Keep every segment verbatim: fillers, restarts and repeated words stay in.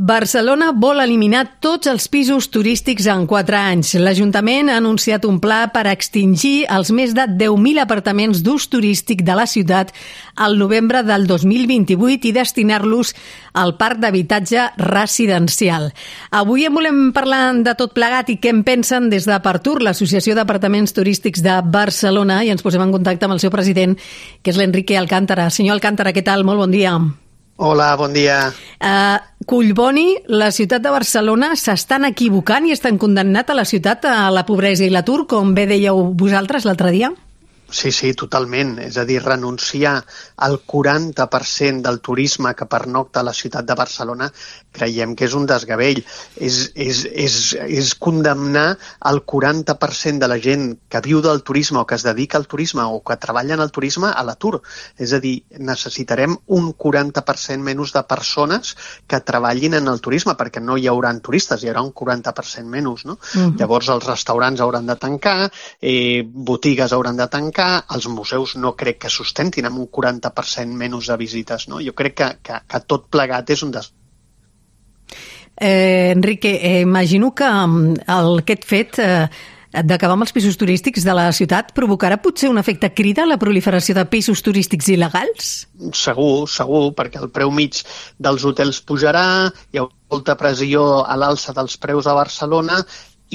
Barcelona vol eliminar tots els pisos turístics en quatre anys. L'Ajuntament ha anunciat un pla per extingir els més de deu mil apartaments d'ús turístic de la ciutat al novembre del dos mil vint-i-vuit i destinar-los al parc d'habitatge residencial. Avui en volem parlar de tot plegat i què en pensen des de Partur, l'Associació d'Apartaments Turístics de Barcelona, i ens posem en contacte amb el seu president, que és l'Enrique Alcántara. Senyor Alcántara, què tal? Molt bon dia. Hola, bon dia. Uh, Collboni, la ciutat de Barcelona, s'estan equivocant i estan condemnat a la ciutat a la pobresa i l'atur, com bé dèieu vosaltres l'altre dia? Sí, sí, totalment. És a dir, renunciar al quaranta per cent del turisme que pernocta a la ciutat de Barcelona creiem que és un desgavell. És, és, és, és condemnar el quaranta per cent de la gent que viu del turisme o que es dedica al turisme o que treballa en el turisme a l'atur. És a dir, necessitarem un quaranta per cent menys de persones que treballin en el turisme perquè no hi haurà turistes, hi haurà un quaranta per cent menys, no? Uh-huh. Llavors els restaurants hauran de tancar, eh, botigues hauran de tancar, els museus no crec que sustentin amb un quaranta per cent menys de visites, no? Jo crec que, que, que tot plegat és un des... Eh, Enrique, eh, imagino que el, aquest fet eh, d'acabar amb els pisos turístics de la ciutat provocarà potser un efecte crida a la proliferació de pisos turístics il·legals? Segur, segur, perquè el preu mig dels hotels pujarà, hi ha molta pressió a l'alça dels preus a Barcelona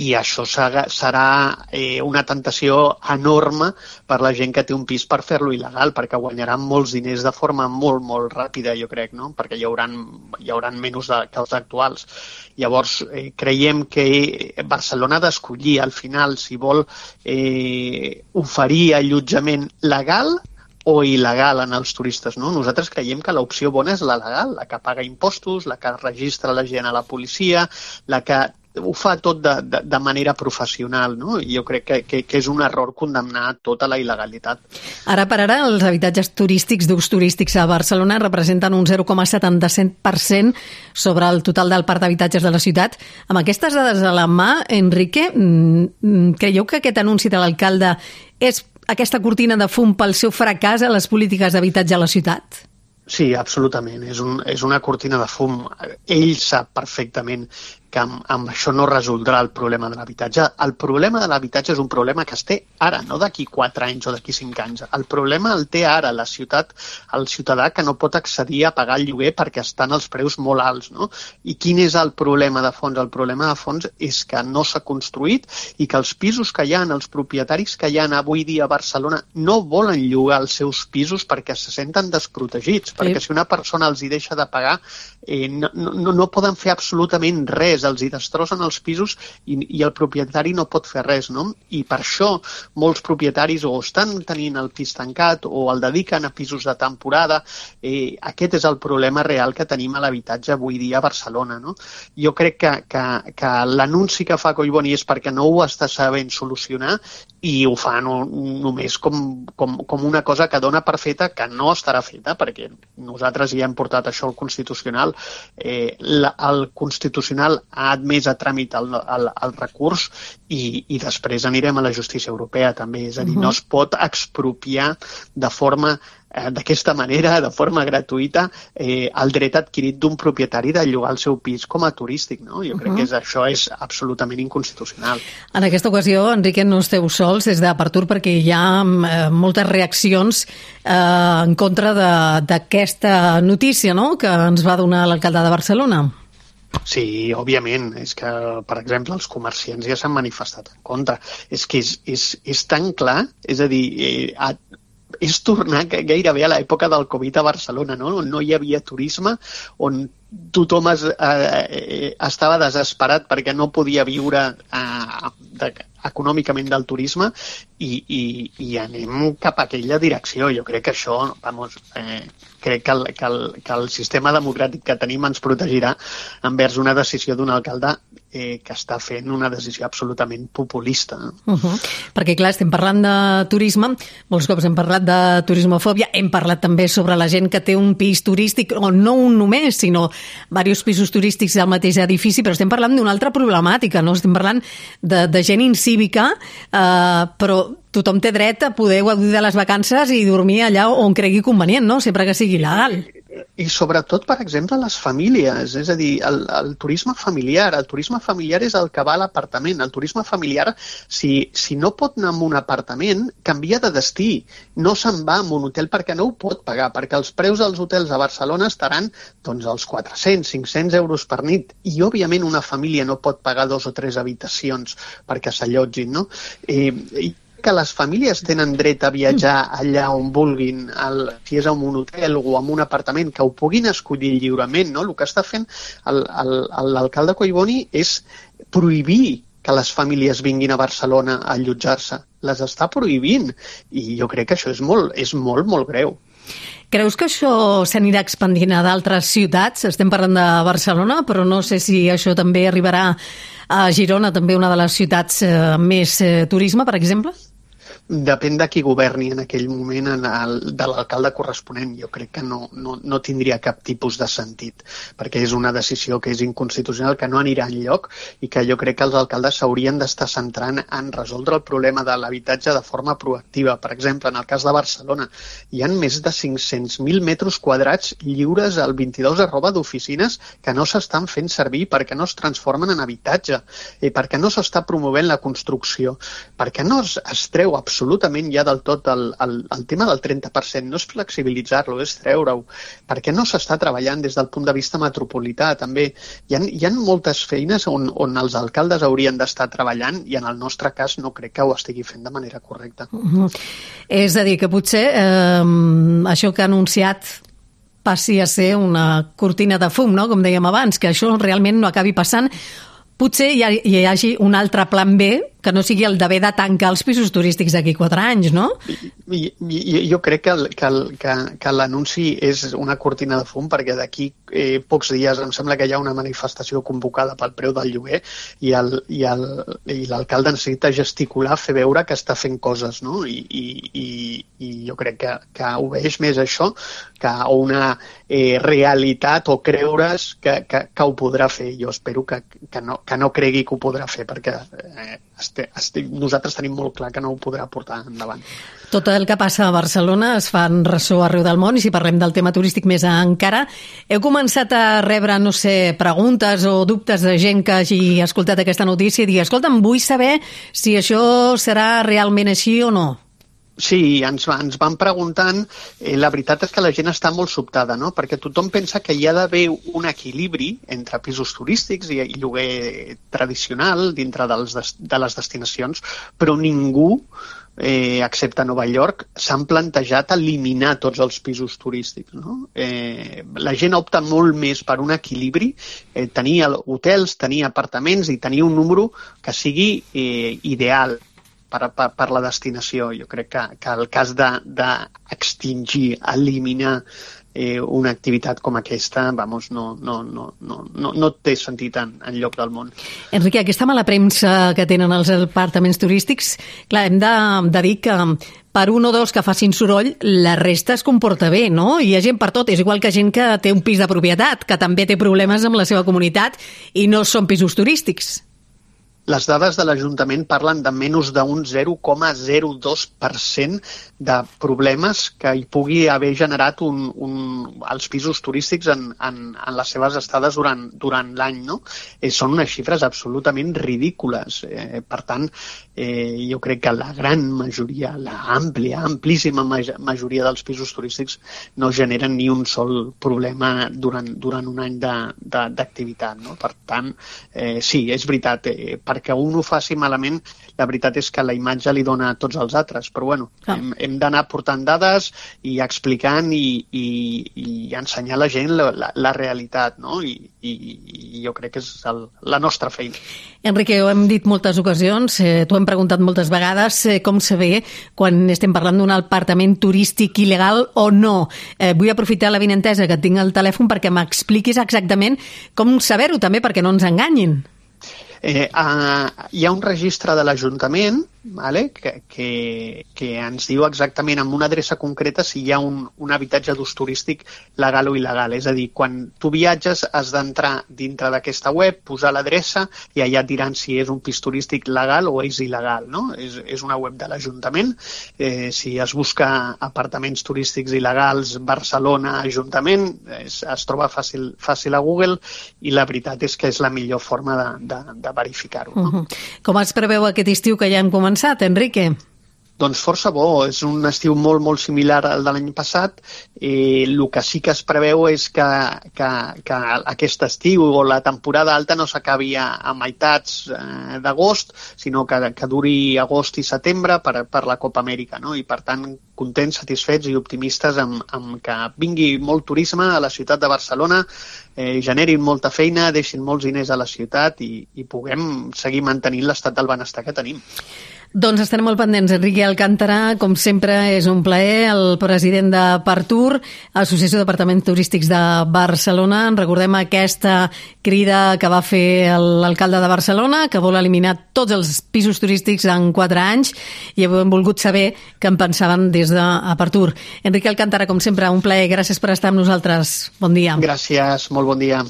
i això serà eh, una tentació enorme per la gent que té un pis per fer-lo il·legal, perquè guanyaran molts diners de forma molt, molt ràpida, jo crec, no? Perquè hi haurà, hi haurà menys de, que els actuals. Llavors, eh, creiem que Barcelona ha d'escollir, al final, si vol eh, oferir allotjament legal o il·legal en els turistes, no? Nosaltres creiem que l'opció bona és la legal, la que paga impostos, la que registra la gent a la policia, la que ho fa tot de, de, de manera professional, no? I jo crec que, que, que és un error condemnar tota la il·legalitat. Ara per ara, els habitatges turístics d'ús turístics a Barcelona representen un zero coma setanta-set per cent sobre el total del parc d'habitatges de la ciutat. Amb aquestes dades a la mà, Enrique, creieu que aquest anunci de l'alcalde és aquesta cortina de fum pel seu fracàs a les polítiques d'habitatge a la ciutat? Sí, absolutament. És, un, és una cortina de fum. Ell sap perfectament que amb, amb això no resoldrà el problema de l'habitatge. El problema de l'habitatge és un problema que es té ara, no d'aquí quatre anys o d'aquí cinc anys. El problema el té ara la ciutat, el ciutadà que no pot accedir a pagar el lloguer perquè estan els preus molt alts, no? I quin és el problema de fons? El problema de fons és que no s'ha construït i que els pisos que hi ha, els propietaris que hi ha avui dia a Barcelona no volen llogar els seus pisos perquè se senten desprotegits, perquè si una persona els hi deixa de pagar eh, no, no, no poden fer absolutament res, els hi destrossen els pisos i, i el propietari no pot fer res, no? I per això molts propietaris o estan tenint el pis tancat o el dediquen a pisos de temporada. Eh, aquest és el problema real que tenim a l'habitatge avui dia a Barcelona, no? Jo crec que, que, que l'anunci que fa Collboni és perquè no ho està sabent solucionar i ho fa no, només com, com, com una cosa que dona per feta que no estarà feta, perquè nosaltres ja hem portat això al Constitucional. Eh, la, el Constitucional ha admès a tràmit el, el, el recurs i, i després anirem a la justícia europea també. És a dir, uh-huh. no es pot expropiar de forma eh, d'aquesta manera, de forma gratuïta, eh, el dret adquirit d'un propietari de llogar el seu pis com a turístic, no? Jo crec uh-huh. que és, això és absolutament inconstitucional. En aquesta ocasió, Enrique, no esteu sols des de Partur perquè hi ha eh, moltes reaccions eh, en contra d'aquesta notícia, no?, que ens va donar l'alcalde de Barcelona. Sí, òbviament. És que, per exemple, els comerciants ja s'han manifestat en contra. És que és, és, és tan clar, és a dir, eh, a, és tornar gairebé a l'època del Covid a Barcelona, no? No hi havia turisme, on tothom es, eh, estava desesperat perquè no podia viure eh, de, econòmicament del turisme i, i, i anem cap a aquella direcció. Jo crec que això, vamos, eh, crec que el, que, el, que el sistema democràtic que tenim ens protegirà envers una decisió d'un alcalde eh, que està fent una decisió absolutament populista. Uh-huh. Perquè, clar, estem parlant de turisme, molts cops hem parlat de turismofòbia, hem parlat també sobre la gent que té un pis turístic, o no un només, sinó diversos pisos turístics al mateix edifici, però estem parlant d'una altra problemàtica, no? Estem parlant de, de gent incívica, eh, però tothom té dret a poder gaudir de les vacances i dormir allà on cregui convenient, no? Sempre que sigui legal. I sobretot, per exemple, les famílies, és a dir, el, el turisme familiar. El turisme familiar és el que va a l'apartament. El turisme familiar, si, si no pot anar a un apartament, canvia de destí. No se'n va a un hotel perquè no ho pot pagar, perquè els preus dels hotels a Barcelona estaran doncs, als quatre-cents, cinc-cents euros per nit. I, òbviament, una família no pot pagar dos o tres habitacions perquè s'allotgin, no? Eh, i que les famílies tenen dret a viatjar allà on vulguin, el, si és en un hotel o en un apartament, que ho puguin escollir lliurement, no? El que està fent l'alcalde Collboni és prohibir que les famílies vinguin a Barcelona a allotjar-se. Les està prohibint i jo crec que això és molt, és molt, molt greu. Creus que això s'anirà expandint a d'altres ciutats? Estem parlant de Barcelona, però no sé si això també arribarà a Girona, també una de les ciutats eh, més eh, turisme, per exemple? Depèn de qui governi en aquell moment, en el, de l'alcalde corresponent. Jo crec que no, no, no tindria cap tipus de sentit, perquè és una decisió que és inconstitucional, que no anirà enlloc i que jo crec que els alcaldes s'haurien d'estar centrant en resoldre el problema de l'habitatge de forma proactiva. Per exemple, en el cas de Barcelona, hi ha més de cinc-cents mil metres quadrats lliures al vint-i-dos arroba d'oficines que no s'estan fent servir perquè no es transformen en habitatge, i perquè no s'està promovent la construcció, perquè no es, es treu absolutament absolutament ja del tot el, el, el tema del trenta per cent, no és flexibilitzar-lo, és treure-ho, perquè no s'està treballant des del punt de vista metropolità, també. Hi ha, hi ha moltes feines on, on els alcaldes haurien d'estar treballant i en el nostre cas no crec que ho estigui fent de manera correcta. Uh-huh. És a dir, que potser eh, això que ha anunciat passi a ser una cortina de fum, no? Com dèiem abans, que això realment no acabi passant. Potser hi, ha, hi hagi un altre plan B que no sigui el d'haver de tancar els pisos turístics d'aquí quatre anys, no? I, i, jo crec que, que, que, que l'anunci és una cortina de fum perquè d'aquí eh, pocs dies em sembla que hi ha una manifestació convocada pel preu del lloguer i l'alcalde necessita gesticular, fer veure que està fent coses, no? I, i, i, i jo crec que, que obeeix més això que una eh, realitat o creure's que, que, que ho podrà fer. Jo espero que, que, no, que no cregui que ho podrà fer perquè eh, Estic, estic, nosaltres tenim molt clar que no ho podrà portar endavant. Tot el que passa a Barcelona es fa en ressò arreu del món i si parlem del tema turístic més encara, heu començat a rebre, no sé, preguntes o dubtes de gent que hagi escoltat aquesta notícia i digui, escolta'm, vull saber si això serà realment així o no. Sí, ens, ens van preguntant. Eh, la veritat és que la gent està molt sobtada, no? Perquè tothom pensa que hi ha d'haver un equilibri entre pisos turístics i, i lloguer tradicional dintre dels, de les destinacions, però ningú, eh, excepte Nova York, s'han plantejat eliminar tots els pisos turístics, no? Eh, la gent opta molt més per un equilibri, eh, tenir hotels, tenir apartaments i tenir un número que sigui eh, ideal Per, per, per la destinació. Jo crec que, que el cas d'extingir, de, eliminar eh, una activitat com aquesta, vamos, no, no, no, no, no, no té sentit en, en lloc del món. Enrique, aquesta mala premsa que tenen els apartaments turístics, clar, hem de, de dir que per un o dos que facin soroll, la resta es comporta bé, no? Hi ha gent per tot, és igual que gent que té un pis de propietat, que també té problemes amb la seva comunitat i no són pisos turístics. Les dades de l'Ajuntament parlen de menys d'un zero coma zero dos per cent de problemes que hi pugui haver generat un, un, els pisos turístics en, en, en les seves estades durant, durant l'any, no? Eh, són unes xifres absolutament ridícules. Eh, per tant, eh, jo crec que la gran majoria, la àmplia, amplíssima majoria dels pisos turístics no generen ni un sol problema durant, durant un any d'activitat, no? Per tant, eh, sí, és veritat, eh, perquè un ho faci malament, la veritat és que la imatge li dona a tots els altres, però bueno, ah. hem, hem d'anar portant dades i explicant i, i, i ensenyar a la gent la, la, la realitat, no? I, i, i jo crec que és el, la nostra feina. Enrique, ho hem dit moltes ocasions, eh, t'ho hem preguntat moltes vegades, eh, com se ve quan estem parlant d'un apartament turístic il·legal o no. Eh, vull aprofitar la vinentesa que tinc al telèfon perquè m'expliquis exactament com saber-ho també, perquè no ens enganyin. Eh, uh, hi ha un registre de l'Ajuntament, vale? que, que, que ens diu exactament amb una adreça concreta si hi ha un, un habitatge d'ús turístic legal o il·legal. És a dir, quan tu viatges has d'entrar dintre d'aquesta web, posar l'adreça i allà et diran si és un pis turístic legal o és il·legal. No? És, és una web de l'Ajuntament. Eh, si es busca apartaments turístics il·legals, Barcelona, Ajuntament, es, es troba fàcil, fàcil a Google i la veritat és que és la millor forma de, de, de verificar-ho. No? Uh-huh. Com es preveu aquest estiu que ja hem començat, Enrique? Doncs força bo, és un estiu molt, molt similar al de l'any passat. Eh, el que sí que es preveu és que, que, que aquest estiu o la temporada alta no s'acabi a, a meitats eh, d'agost, sinó que, que duri agost i setembre per, per la Copa Amèrica, no? I per tant contents, satisfets i optimistes amb, amb que vingui molt turisme a la ciutat de Barcelona, eh, generin molta feina, deixin molts diners a la ciutat i, i puguem seguir mantenint l'estat del benestar que tenim. Doncs estarem molt pendents. Enrique Alcántara, com sempre, és un plaer, el president de Partur, Associació d'Apartaments Turístics de Barcelona. En recordem aquesta crida que va fer l'alcalde de Barcelona, que vol eliminar tots els pisos turístics en quatre anys, i hem volgut saber què en pensaven des de Partur. Enrique Alcántara, com sempre, un plaer. Gràcies per estar amb nosaltres. Bon dia. Gràcies, molt bon dia.